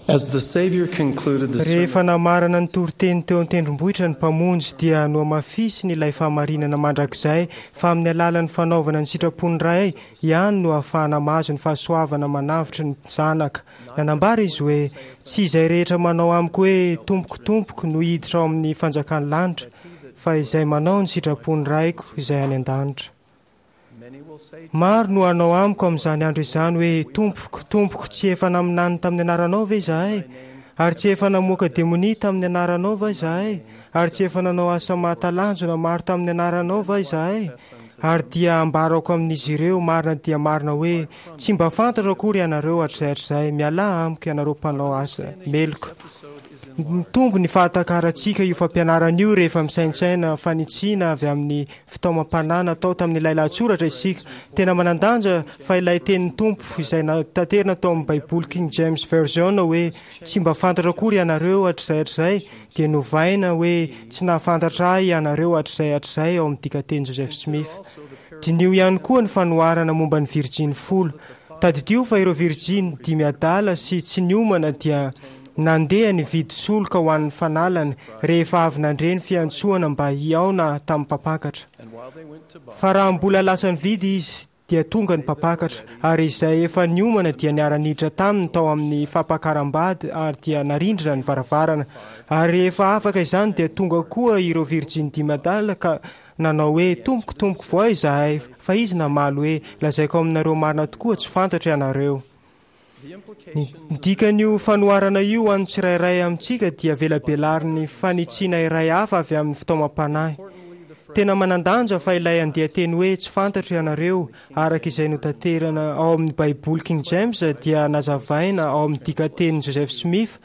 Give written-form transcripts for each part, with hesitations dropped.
As the Savior concluded the Rehefa sermon, namarana ny toriteny teo an-tendrombohitra ny Mpamonjy dia nohamafisiny ilay fahamarinana mandrakizay fa amin'ny alalan'ny fanaovana ny sitrapon'ny Ray ihany no ahafahana mahazo ny fahasoavana manavotra ny zanaka. Nanambara izy hoe, Tsy izay rehetra manao amiko hoe, Tompoko, Tompoko, no hiditra ao amin'ny fanjakan'ny lanitra, fa izay manao ny sitrapon'ny Raiko izay any an-danitra. many will say to Maro no hanao amiko amin'izany andro izany hoe, Tompoko, Tompoko, tsy efa naminany tamin'ny anaranao ve izahay? Ary tsy efa namoaka demonia tamin'ny anaranao va izahay? Ary tsy efa nanao asa mahatalanjona maro tamin'ny anaranao va izahay? Ary dia ambarako amin'izy ireo marina dia marina hoe, Tsy mba fantatro akory ianareo hatrizay hatrizay, mialà amiko ianareo mpanao asa meloka. episode is Mitombo ny fahatakarantsika io fampianarana io rehefa misaintsaina fanitsiana avy amin'ny fitaomam-panahy natao tamin'ilay lahatsoratra isika. Tena manan-danja fa ilay tenin'ny Tompo izay natanterina tao amin'ny Baiboly King James Version hoe tsy mba fantatra akory ianareo hatrizay hatrizay dia novaina hoe tsy nahafantatra ahy ianareo hatrizay hatrizay ao amin'ny dikanteny Joseph Smith. Diniho ihany koa ny fanoharana momba ny virjiny folo. Tadidio fa ireo virjiny dimy adala sy tsy niomana dia nandeha nividy soloka ho an'ny fanalany rehefa avy nandre ny fiantsoana mba hihaona tamin'ny mpampakatra. And while they went to buy, Fa raha mbola lasa nividy izy dia tonga ny mpampakatra, ary izay efa niomana dia niara-niditra taminy tao amin'ny fampakaram-bady ary dia narindrina ny varavarana. Ary rehefa afaka izany dia tonga koa ireo virjiny dimy adala ka nanao hoe, Tompoko, tompoko, voay izahay. Fa izy namaly hoe, Lazaiko aminareo marina tokoa, tsy fantatro ianareo. the Ny implications ny dikan'io fanoharana io ho an'ny tsirairay amintsika dia velabelarin'ny fanitsiana iray hafa avy amin'ny fitaomam-panahy. importantly the phrase Tena manan-danja fa ilay andian-teny hoe tsy fantatro ianareo araka izay notaterana ao amin'ny Baiboly King James dia nazavaina ao amin'ny dikatenin'i Joseph Smith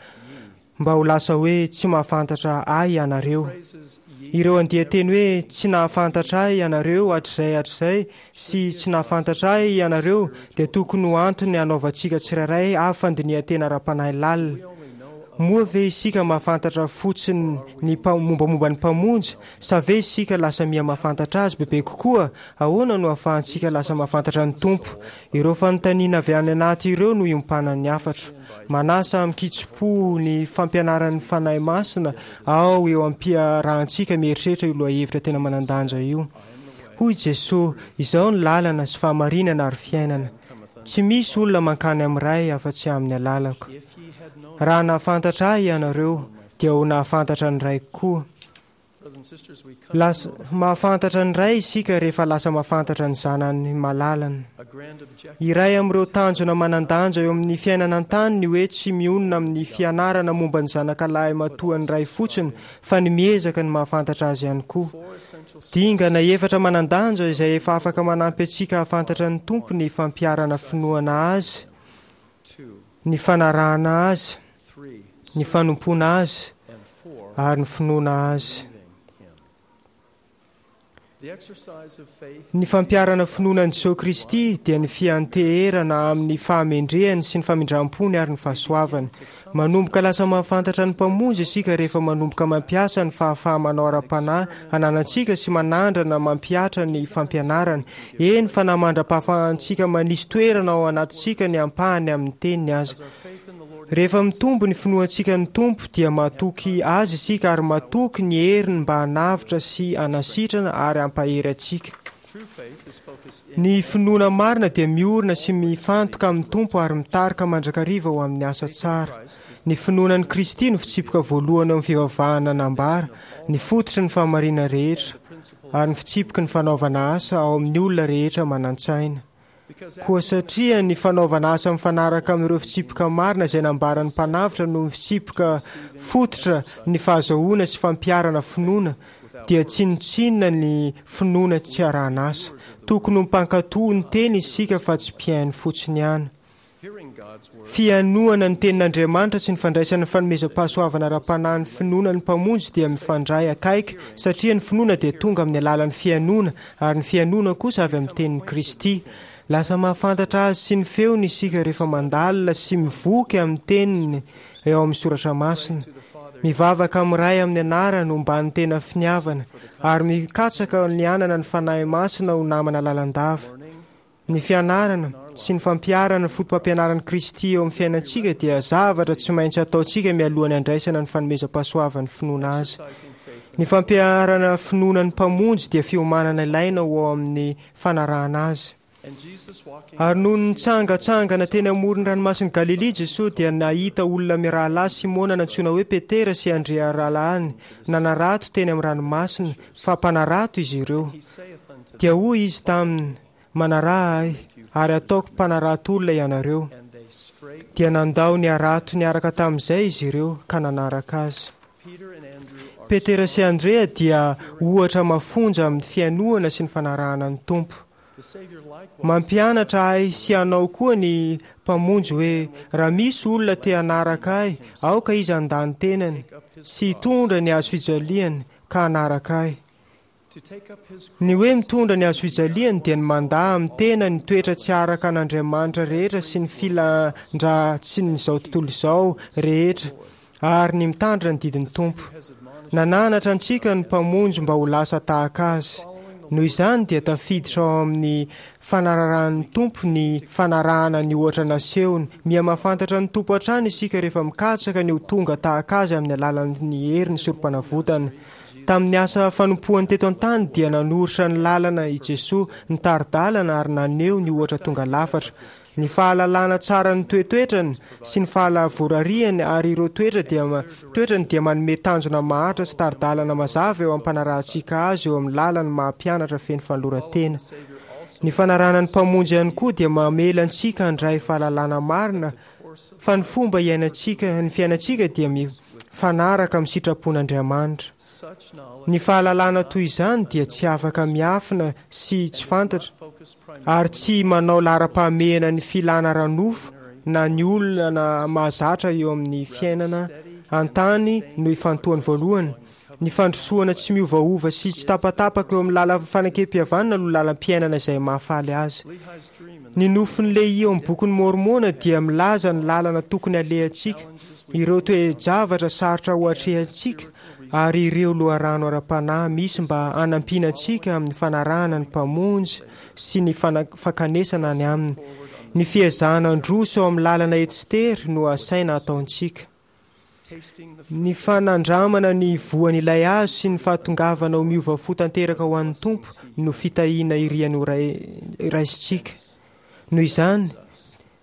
mba ho lasa hoe tsy mahafantatra ahy ianareo. phrases ye Ireo andian-teny hoe tsy nahafantatra ahy ianareo hatrizay hatrizay sy tsy nahafantatra ahy ianareo dia tokony ho antony hanaovantsika tsirairay avy fandinihan-tena ara-panahy lalina. we only know of Moa ve isika mahafantatra fotsiny ny mpa- mombamomba ny Mpamonjy sa ve isika lasa miha mahafantatra azy bebe kokoa? Ahoana no ahafahantsika lasa mahafantatra ny Tompo? Ireo fanontaniana avy any anaty ireo no iompanan'ny hafatra. Manasa amin-kitsim-po ny fampianaran'ny Fanahy Masina ao eo am-piarahantsika mieritreritra io lohahevitra tena manan-danja io. Hoy Jesoa, Izao ny lalana sy fahamarinana ary fiainana. Tsy misy olona mankany amin'ny Ray afa-tsy amin'ny alalako. if ye had known Raha nahafantatra ahy ianareo, dia ho nahafantatra ny Raiko koa. brothers and sisters we come Lasa to know mahafantatra ny Ray isika rehefa lasa mahafantatra ny Zanany malalany. a grand objective Iray amin'ireo tanjona manan-danja eo amin'ny fiainana an-tany ny hoe tsy mionona amin'ny fianarana momba ny zanaka lahy matoan'ny Ray fotsiny fa ny miezaka ny mahafantatra azy ihany koa. four essential Dingana efatra manan-danja izay efa afaka manampy antsika hahafantatra ny Tompo ny fampiharana finoana azy, two ny fanarahana azy, three ny fanompoana azy and four ary ny finoana azy. believing him the exercise of faith Ny fampiharana finoana an'i Jesoa Kristy dia ny fianteherana amin'ny fahamendrehany sy ny famindram-pony ary ny fahasoavany. Manomboka lasa mahafantatra ny Mpamonjy isika rehefa manomboka mampiasa ny fahafaha-manao ara-panahy ananantsika sy manandrana mampihatra ny fampianarany. Eny fa na mandra-pahafahantsika manisy toerana ao anatintsika ny ampahany amin'ny teniny aza. as our faith in the Lord Rehefa mitombo ny finoantsika ny Tompo dia matoky azy isika ary matoky ny heriny mba hanavotra sy hanasitrana ary hampahery antsika. true faith is focused in Ny finoana marina dia miorina sy mifantoka amin'ny Tompo ary mitarika mandrakariva ho amin'ny asa tsara. Ny finoana an'i Kristy no fitsipika voalohany eo amin'ny fivavahana nambara, ny fototry ny fahamarinana rehetra principle ary ny fitsipiky ny fanaovana asa ao amin'ny olona rehetra manan-tsaina. because Koa satria ny fanaovana asa mifanaraka amin'ireo fitsipika marina izay nambaran'ny mpanavotra no fitsipika fototra ny fahazahoana sy fampiharana finoana dia tsinontsinona ny finoana tsy arahana asa. Tokony ho mpankatò ny teny isika fa tsy mpihaino fotsiny ihany. hearing God's word Fihainoana ny tenin'Andriamanitra sy ny fandraisana ny fanomezam-pahasoavana ara-panahy ny finoana ny Mpamonjy dia mifandray akaiky satria ny finoana dia tonga amin'ny alalan'ny fihainoana ary ny fihainoana kosa avy amin'ny tenin'i Kristy. Lasa mahafantatra azy sy ny feony isika rehefa mandalina sy mivoky amin'ny teniny eo amin'ny soratra masina. Mivavaka amin'ny Ray amin'ny anarany homban'ny tena finiavana ary mikatsaka ny hanana ny Fanahy Masina ho namana lalandava. learning Ny fianarana sy ny fampiharana ny fotopampianaran'i Kristy eo amin'ny fiainantsika dia zavatra tsy maintsy ataontsika mialohan'ny handraisana ny fanomezam-pahasoavan'ny finoana Azy. Ny fampiharana finoana ny Mpamonjy dia fiomanana ilaina ho ao amin'ny fanarahana Azy. Ary nony nitsangantsangana teny amoron'ny ranomasin'i Galilia Jesoa dia nahita olona mirahalahy Simona nantsoina hoe Petera sy Andrea rahalahiny nanarato teny amin'ny ranomasina, fa mpanarato izy ireo. Dia hoy Izy taminy, Manaraha Ahy, ary hataoko mpanarato olona ianareo. Dia nandao ny harato niaraka tamin'izay izy ireo ka nanaraka Azy. Petera sy Andrea dia ohatra mafonja amin'ny fihainoana sy ny fanarahana ny Tompo. Mampianatra ahy sy anao koa ny Mpamonjy hoe, Raha misy olona te hanaraka Ahy, aoka izy handà ny tenany sy hitondra ny hazo fijaliany ka hanaraka Ahy. Ny hoe mitondra ny hazo fijaliany dia ny mandà amin'ny tena ny toetra tsy araka an'Andriamanitra rehetra sy ny filan-dratsin'izao tontolo izao rehetra ary ny mitandrina ny didin'ny Tompo. Nananatra antsika ny Mpamonjy mba ho lasa tahaka Azy. Noho izany dia tafiditra ao amin'ny fanararahan'ny Tompo ny fanarahana ny ohatra nasehony. Miha-mahafantatra ny Tompo hatrany isika rehefa mikatsaka ny ho tonga tahaka Azy amin'ny alalan'ny herin'ny Sorompanavotana. Tamin'ny asa fanompoany teto an-tany dia nanoritra ny lalana i Jesoa, nitari-dalana ary naneho ny ohatra tonga lafatra. Ny fahalalana tsara ny toetoetrany sy ny fahalavorariany ary ireo toetra dia toetrany dia manome tanjona maharitra sy tari-dalana mazava eo am-panarahantsika azy eo amin'ny lalany maha mpianatra feno fanoloran-tena. Ny fanarahana ny Mpamonjy ihany koa dia mamela antsika handray fahalalana marina fa ny fomba iainantsika ny fiainantsika dia mifanaraka amin'ny sitrapon'Andriamanitra. Ny fahalalana toy izany dia tsy afaka miafina sy tsy fantatra ary tsy manao laharam-pahamehana ny filana ara-nofo na ny olana mahazatra eo amin'ny fiainana an-tany no ifantohany voalohany. Ny fandrosoana tsy miovaova sy tsy tapatapaka eo amin'ny lalan'ny fanekempihavanana no lalam-piainana izay mahafaly azy. Ny nofin'i Lehia ao amin'ny Bokin'i Môrmôna dia milaza ny lalana tokony halehantsika, ireo toe-javatra sarotra ho atrehantsika, ary ireo loharano ara-panahy misy mba hanampiana antsika amin'ny fanarahana ny Mpamonjy sy ny fankanesana any Aminy. Ny fiezahana handroso eo amin'ny lalana ety sy tery no asaina hataontsika. Ny fanandramana ny voan'ilay hazo sy ny fahatongavana ho miova fo tanteraka ho an'ny Tompo no fitahiana iriany ho raisintsika. Noho izany,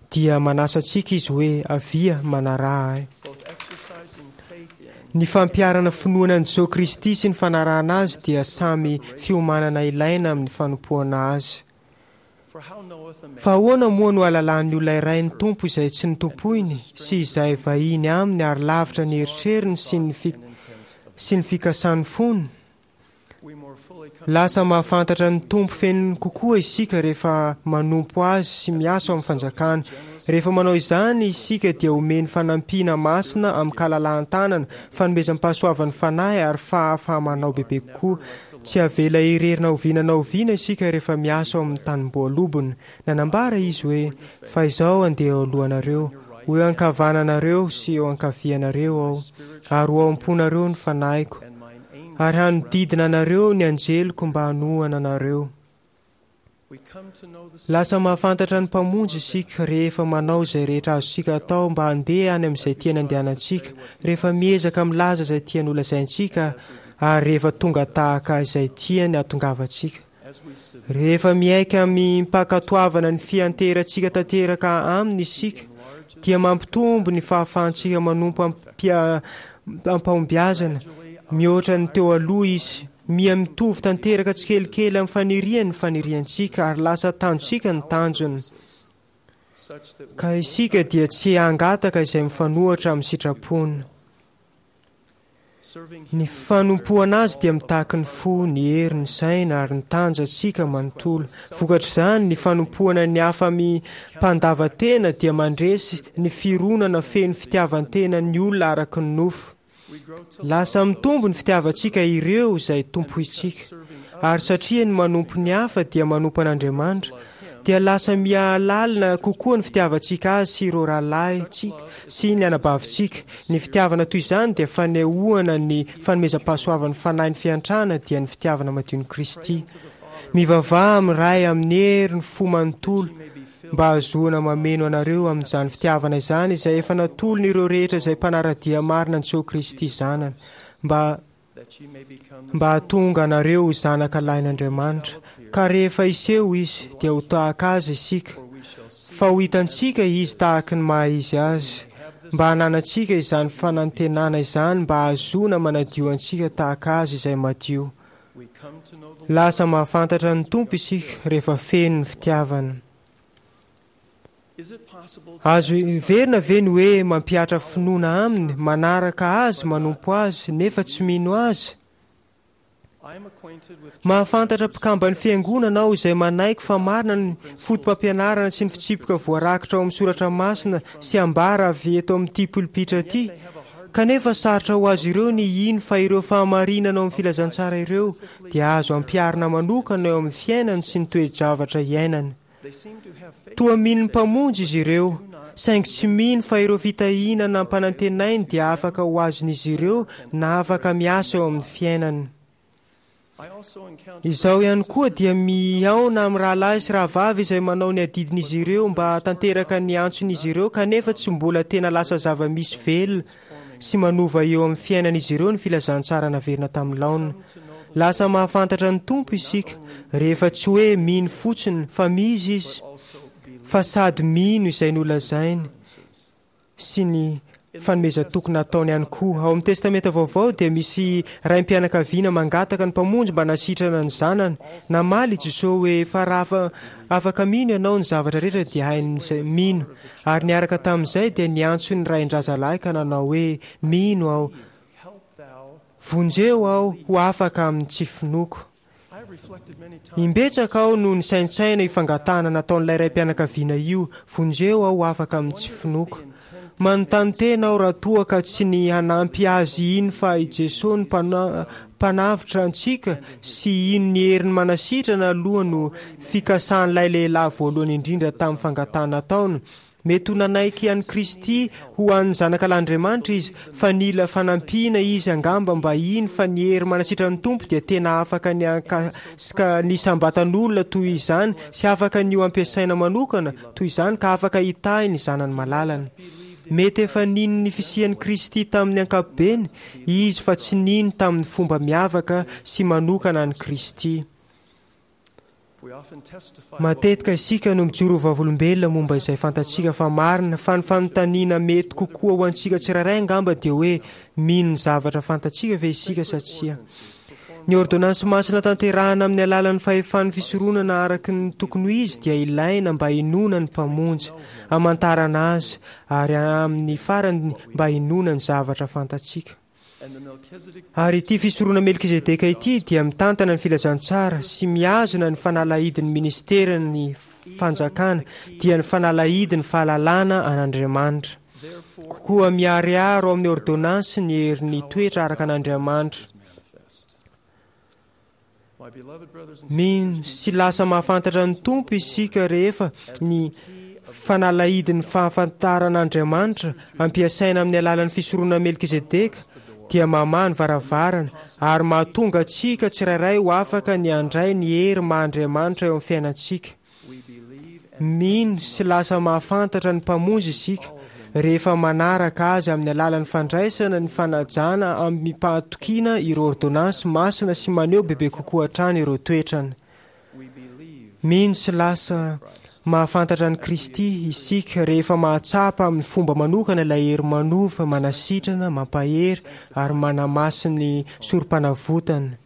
dia manasa antsika Izy hoe, Avia, manaraha Ahy. Ny fampiharana finoana an'i Jesoa Kristy sy ny fanarahana Azy dia samy fiomanana ilaina amin'ny fanompoana Azy. Fa ahoana moa no hahalalan'ny olona iray ny Tompo izay tsy notompoiny sy izay vahiny aminy ary lavitra ny eritreriny sy ny sy ny fikasan'ny fony? Lasa mahafantatra ny Tompo feno kokoa isika rehefa manompo Azy sy miasa ao amin'ny fanjakany. Rehefa manao izany isika dia omeny fanampiana masina amin-kalalahan-tanana, fanomezam-pahasoavan'ny Fanahy ary fahafaha-manao bebe kokoa. Tsy avela irery na oviana na oviana isika rehefa miasa ao amin'ny tanimboalobony. Nanambara izy hoe, Fa izaho handeha eo alohanareo, ho eo ankavananareo sy eo ankavianareo aho, ary ho ao am-ponareo ny fanahiko, ary hanodidina anareo ny anjeliko mba hanohana anareo. Lasa mahafantatra ny Mpamonjy isika rehefa manao izay rehetra azontsika atao mba handeha any amin'izay tiany handehanantsika, rehefa miezaka milaza izay tiany holazaintsika, ary rehefa tonga tahaka izay tiany hahatongavantsika. Rehefa miaiky amim-pankatoavana ny fianteherantsika tanteraka Aminy isika, dia mampitombo ny fahafahantsika manompo am-pahombiazana mihoatra ny teo aloha Izy. Miha mitovy tanteraka tsikelikely amin'ny faniriany ny faniriantsika ary lasa tanjontsika ny tanjony. Ka isika dia tsy hangataka izay mifanohitra amin'ny sitrapony. Ny fanompoana Azy dia mitaky ny fo, ny hery, ny saina ary ny tanjantsika manontolo. Vokatr'izany, ny fanompoana ny hafa amim-pandavan-tena dia mandresy ny fironana feno fitiavan-tenan'ny olona araka ny nofo. Lasa mitombo ny fitiavantsika ireo izay tompointsika. Ary satria ny manompo ny hafa dia manompo an'Andriamanitra, dia lasa miha-lalina kokoa ny fitiavantsika azy sy ireo rahalahintsika sy ny anabavintsika. Ny fitiavana toy izany dia fanehoana ny fanomezam-pahasoavan'ny Fanahin'ny fiantrana, dia ny fitiavana madion'i Kristy. Mivavaha amin'ny Ray amin'ny herin'ny fo manontolo. mba hahazoana mameno anareo amin'izany fitiavana izany izay efa natolony ireo rehetra izay mpanara-dia marina an'i Jesoa Kristy Zanany, mba mba hahatonga anareo ho zanaka lahin'Andriamanitra, ka rehefa hiseho Izy, dia ho tahaka Azy isika, fa ho hitantsika Izy tahaky ny maha-Izy Azy, mba hananantsika izany fanantenana izany mba hahazoana manadio antsika tahaka Azy izay madio. Lasa mahafantatra ny Tompo isika rehefa feno ny fitiavana. Azo heverina ve ny hoe mampihatra finoana Aminy, manaraka Azy, manompo Azy, nefa tsy mino Azy? Mahafantatra mpikamban'ny Fiangonana aho izay manaiky fa marina ny fotopampianarana sy ny fitsipika voarakitra ao amin'ny soratra masina sy ambara avy eto amin'ity polipitra ity, kanefa sarotra ho azy ireo ny hino fa ireo fahamarinana ao amin'ny filazantsara ireo dia azo ampiharina manokana eo amin'ny fiainany sy ny toe-javatra iainany. Toa mino ny Mpamonjy izy ireo, saingy tsy mino fa ireo fitahiana nampanantenainy dia afaka ho azon'izy ireo na afaka miasa eo amin'ny fiainany. Izaho ihany koa dia mihaona amin'ny rahalahy sy rahavavy izay manao ny adidin'izy ireo mba hahatanteraka ny antson'izy ireo kanefa tsy mbola tena lasa zava-misy velona sy manova eo amin'ny fiainan'izy ireo ny filazantsara naverina tamin'ny laoniny. Lasa mahafantatra ny Tompo isika rehefa tsy hoe mino fotsiny fa mizy Izy fa sady mino izay nolazainy sy ny fanomezan-toky nataony ihany koa. Ao amin'ny Testamenta Vaovao dia misy raim-pianakaviana mangataka ny Mpamonjy mba hanasitrana ny zanany. Namaly i Jesoa hoe, Fa raha afaka mino ianao, ny zavatra rehetra dia hain'izay mino. Ary niaraka tamin'izay dia niantso ny rain-drazalahy ka nanao hoe, Mino aho. Vonjeo aho ho afaka amin'ny tsy finoako. Imbetsaka aho no nisaintsaina io fangatahana nataon'ilay raim-pianakaviana io, Vonjeo aho ho afaka amin'ny tsy finoako. Manontany tena aho raha toa ka tsy ny hanampy azy hino fa i Jesoa no Mpanavotra antsika sy hino ny heriny manasitrana aloha no fikasan'ilay lehilahy voalohany indrindra tamin'ny fangatahana nataony. Mety ho nanaiky an'i Kristy ho an'ny Zanakalahin'Andriamanitra izy, fa nila fanampiana izy angamba mba hino fa ny hery manasitran'ny Tompo dia tena afaka ny hankasika ny isam-batan'olona toy izany sy afaka ny ho ampiasaina manokana toy izany ka afaka hitahy ny zanany malalany. Mety efa nino ny fisian'i Kristy tamin'ny ankapobeny izy fa tsy nino tamin'ny fomba miavaka sy manokana an'i Kristy. Matetika isika no mijoro ho vavolombelona momba izay fantatsika fa marina, fa ny fanontaniana mety kokoa ho antsika tsirairay angamba dia hoe, mino ny zavatra fantatsika ve isika sa tsia? Ny ôrdônansy masina tanterahana amin'ny alalan'ny fahefan'ny fisoronana araka ny tokony ho izy dia ilaina mba hinoana ny Mpamonjy, hamantarana Azy, ary amin'ny farany mba hinoana ny zavatra fantatsika. Ary ity fisorona Melkizedeka ity dia mitantana ny filazantsara sy mihazona ny fanalahidin'ny ministeran'ny fanjakana, dia ny fanalahidin'ny fahalalana an'Andriamanitra. Koa miharihary ao amin'ny ôrdônansy ny herin'ny toetra araka an'Andriamanitra. Mino sy lasa mahafantatra ny Tompo isika rehefa ny fanalahidin'ny fahafantaran'Andriamanitra ampiasaina amin'ny alalan'ny fisoronana Melkizedeka dia mamaha ny varavarana ary mahatonga antsika tsirairay ho afaka ny handray ny hery maha Andriamanitra eo amin'ny fiainantsika. Mino sy lasa mahafantatra ny Mpamonjy isika rehefa manaraka Azy amin'ny alalan'ny fandraisana ny fanajana amim-pahatokiana ireo ôrdônansy masina sy maneho bebe kokoa hatrany ireo toetrany. Mino sy lasa mahafantatra an'i Kristy isika rehefa mahatsapa amin'ny fomba manokana ilay hery manova, manasitrana, mampahery ary manamasin'ny Sorompanavotany.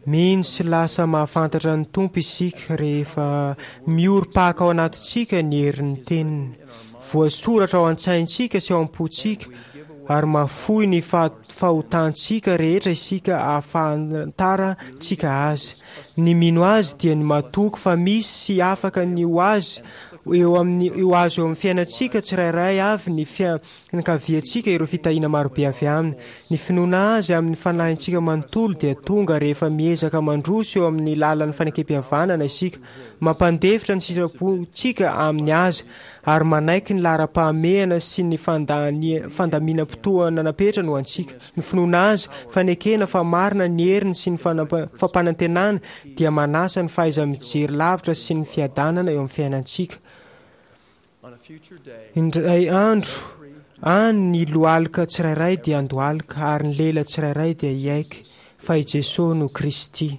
Mino sy lasa mahafantatra ny Tompo isika rehefa miorim-paka ao anatintsika ny herin'ny Teniny. Voasoratra ao an-tsaintsika sy ao am-pontsika ary mahafoy ny fahotantsika rehetra isika ahafantarantsika Azy. Ny mino Azy dia ny matoky fa misy sy afaka ny ho Azy. eo amin'ny ho azo eo amin'ny fiainantsika tsirairay avy ny fianakaviantsika ireo fitahiana marobe avy aminy. Ny finoana azy amin'ny fanahintsika manontolo dia tonga rehefa miezaka mandroso eo amin'ny lalan'ny fanekempihavanana isika, mampandefitra ny sitrapontsika amin'ny azy ary manaiky ny laharam-pahamehana sy ny fandaminam-potoana napetrany ho antsika. Ny finoana azy, fanekena fa marina ny heriny sy ny fampanantenany dia manasa ny fahaiza-mijery lavitra sy ny fiadanana eo amin'ny fiainantsika. Indray andro any ny lohalika tsirairay dia handohalika ary ny lela tsirairay dia hiaiky fa i Jesosy no Kristy.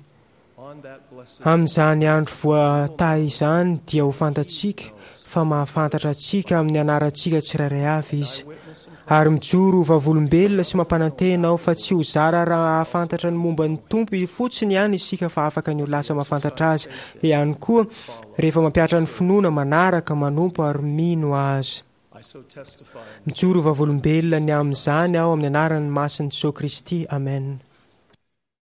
Amin'izany andro voatahy izany dia ho fantatsika fa mahafantatra antsika amin'ny anarantsika tsirairay avy Izy. Ary mijoro ho vavolombelona sy mampanantena aho fa tsy ho zara raha hahafantatra ny momba ny Tompo fotsiny ihany isika fa afaka ny ho lasa mahafantatra Azy ihany koa rehefa mampihatra ny finoana, manaraka, manompo ary mino Azy. Mijoro ho vavolombelona ny amin'izany aho amin'ny anaran'ny masin'i Jesosy Kristy. Amen.